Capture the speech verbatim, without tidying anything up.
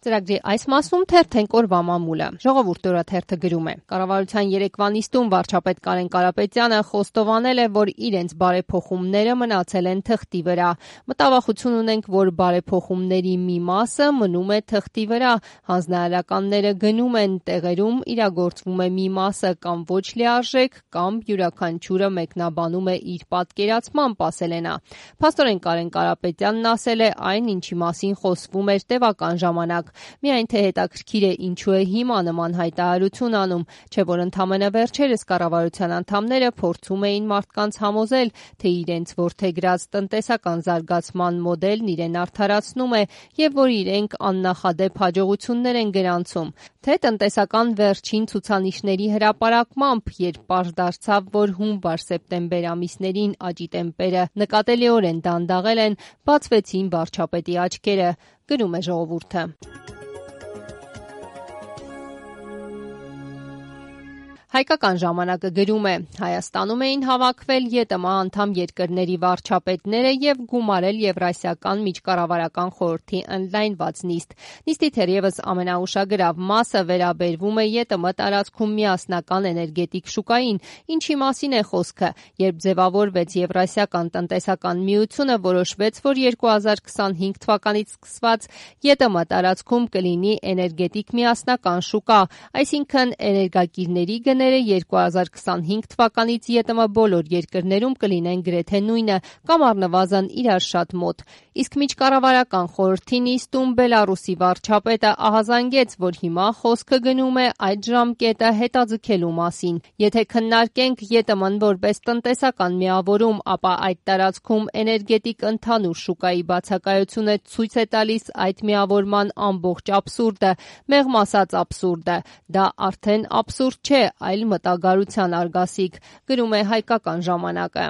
Ծրագրի այս մասում թերթենք օրվա մամուլը։ Ժողովուրդ օրաթերթը գրում է. Կառավարության երեկվա նիստում վարչապետ Կարեն Կարապետյանը խոստովանել է, որ իրենց բարեփոխումները մնացել են թղթի վրա։ Մտավախություն ունենք, որ բարեփոխումների մի մասը մնում է թղթի վրա, հանձնարարականները գնում են, տեղերում իրագործվում է մի մասը կամ ոչ լիարժեք, կամ յուրաքանչյուրը մեկնաբանում է իր պատկերացմամբ, ասել է նա։ Փաստորեն Կարեն Կարապետյանն ասել է այն, ինչի մասին խոսվում էր տևական ժամանակ։ Միայն թե հետաքրքիր է ինչու է հիմա նման հայտարարություն անում, չէ որ ընդամենը վերջերս կառավարության անդամները փորձում էին մարդկանց համոզել, թե իրենց որդեգրած տնտեսական զարգացման մոդելն իրեն արդարացնում է եւ որ իրենք աննախադեպ հաջողություններ են գրանցում, թե տնտեսական վերջին ցուցանիշների հրապարակմամբ, երբ պարզ դարձավ, որ հունվար-սեպտեմբեր ամիսներին աճի տեմպերը նկատելիորեն դանդաղել են, բացվեցին վարչապետի աչքերը, գրում է Ժողովուրդը։ Հայկական ժամանակը գրում է. Հայաստանում էին հավաքվել ԵՏՄ անդամ երկրների վարչապետները եւ գումարել Եվրասիական միջկառավարական խորհրդի ընդլայնված նիստ։ Նիստի թերևս ամենաուշագրավ մասը վերաբերվում է ԵՏՄ տարածքում միասնական էներգետիկ շուկային, ինչի մասին է խոսքը, երբ ձևավորվեց Եվրասիական տնտեսական միությունը, որոշվեց, որ երկու հազար քսանհինգ թվականից սկսված ԵՏՄ տարածքում կլինի էներգետիկ միասնական շուկա, այսինքն էներգակիրների գները երկու հազար քսանհինգ թվականից ԵՏՄ բոլոր երկրներում կլինեն գրեթե նույնը կամ առնվազն իրար շատ մոտ։ Իսկ միջկառավարական խորհրդի նիստում Բելառուսի վարչապետը ահազանգեց, որ հիմա խոսքը գնում է այդ ժամկետը հետաձգելու մասին։ Եթե քննարկենք ԵՏՄ-ն որպես տնտեսական միավորում, ապա այդ տարածքում էներգետիկ ընդհանուր շուկայի բացակայությունը ցույց է տալիս այդ միավորման ամբողջ աբսուրդը, մեղմ ասած աբսուրդը։ Դա արդեն աբսուրդ չէ, այլ մտագարության արգասիկ, գրում է Հայկական ժամանակը։